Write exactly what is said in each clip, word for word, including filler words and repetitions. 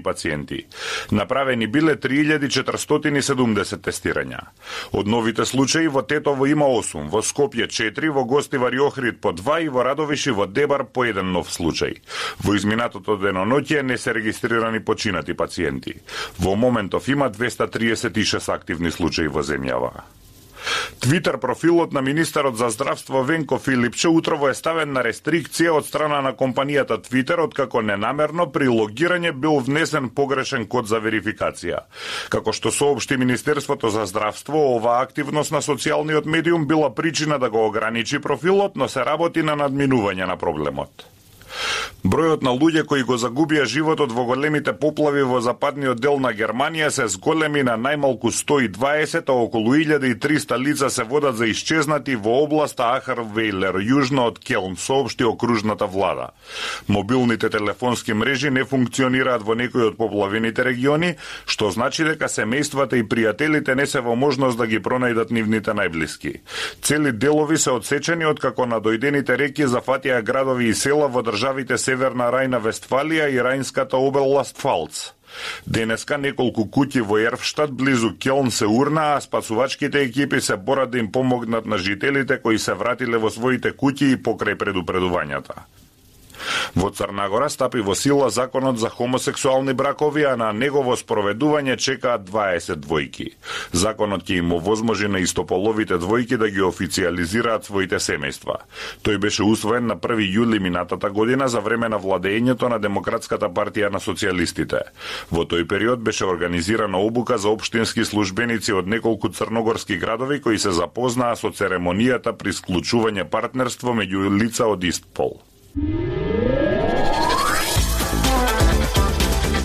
пациенти. Направени биле три илјади четиристотини и седумдесет тестирања. Од новите случаи во Тетово има осум, во Скопје четири, во Гостивар и Охрид по два и во Радовиш и во Дебар по еден нов случај. Во изминатото деноноќе не се регистрирани починати пациенти. Во моментов има двеста триесет и шест активни случаи во земјава. Твитер профилот на министерот за здравство Венко Филипче утрово е ставен на рестрикција од страна на компанијата Твитер, откако ненамерно при логирање бил внесен погрешен код за верификација. Како што соопшти Министерството за здравство, оваа активност на социјалниот медиум била причина да го ограничи профилот, но се работи на надминување на проблемот. Бројот на луѓе кои го загубија животот во големите поплави во западниот дел на Германија се зголеми на најмалку сто и дваесет, а околу илјада и триста лица се водат за исчезнати во областа Ахервейлер, јужно од Келн, соопшти окружната влада. Мобилните телефонски мрежи не функционираат во некои од поплавените региони, што значи дека семејствата и пријателите не се во можност да ги пронајдат нивните најблиски. Цели делови се одсечени откако надојдените реки зафатија градови и села во државите Северна Рајна Вестфалија и Рајнската област Фалц. Денеска неколку куќи во Ерфштад близу Келн се урнаа, а спасувачките екипи се борат да им помогнат на жителите кои се вратиле во своите куќи и покрај предупредувањата. Во Црна Гора стапи во сила законот за хомосексуални бракови, а на негово спроведување чекаат дваесет двојки. Законот ќе им овозможи на истополовите двојки да ги официализираат своите семејства. Тој беше усвоен на први јули минатата година за време на владењето на Демократската партија на социјалистите. Во тој период беше организирана обука за општински службеници од неколку црногорски градови кои се запознаа со церемонијата при склучување партнерство меѓу лица од ист пол.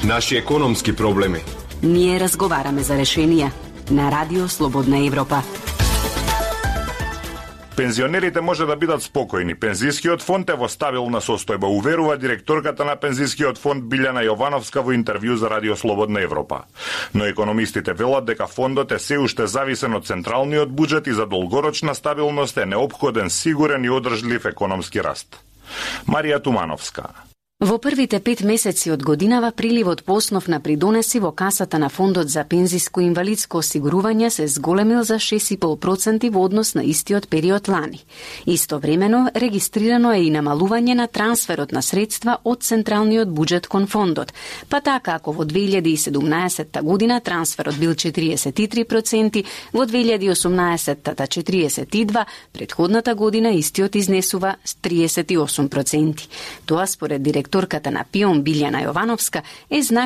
Наши економски проблеми. Ние разговараме за решенија на Радио Слободна Европа. Пензионерите може да бидат спокојни. Пензискиот фонд е во стабилна состојба, уверува директорката на Пензискиот фонд Билјана Јовановска во интервју за Радио Слободна Европа. Но економистите велат дека фондот е се уште зависен од централниот буџет и за долгорочна стабилност е неопходен сигурен и одржлив економски раст. Марија Тумановска. Во првите пет месеци од годинава приливот по основ на придонеси во касата на Фондот за пензиско и инвалидско осигурување се зголемил за шест и пол проценти во однос на истиот период лани. Истовремено регистрирано е и намалување на трансферот на средства од централниот буџет кон фондот. Па така ако во две илјади и седумнаесетта година трансферот бил четириесет и три проценти, во две илјади и осумнаесетта четириесет и два, претходната година истиот изнесува триесет и осум проценти. Тоа според директорката на ПИОН Билјана Јовановска е знак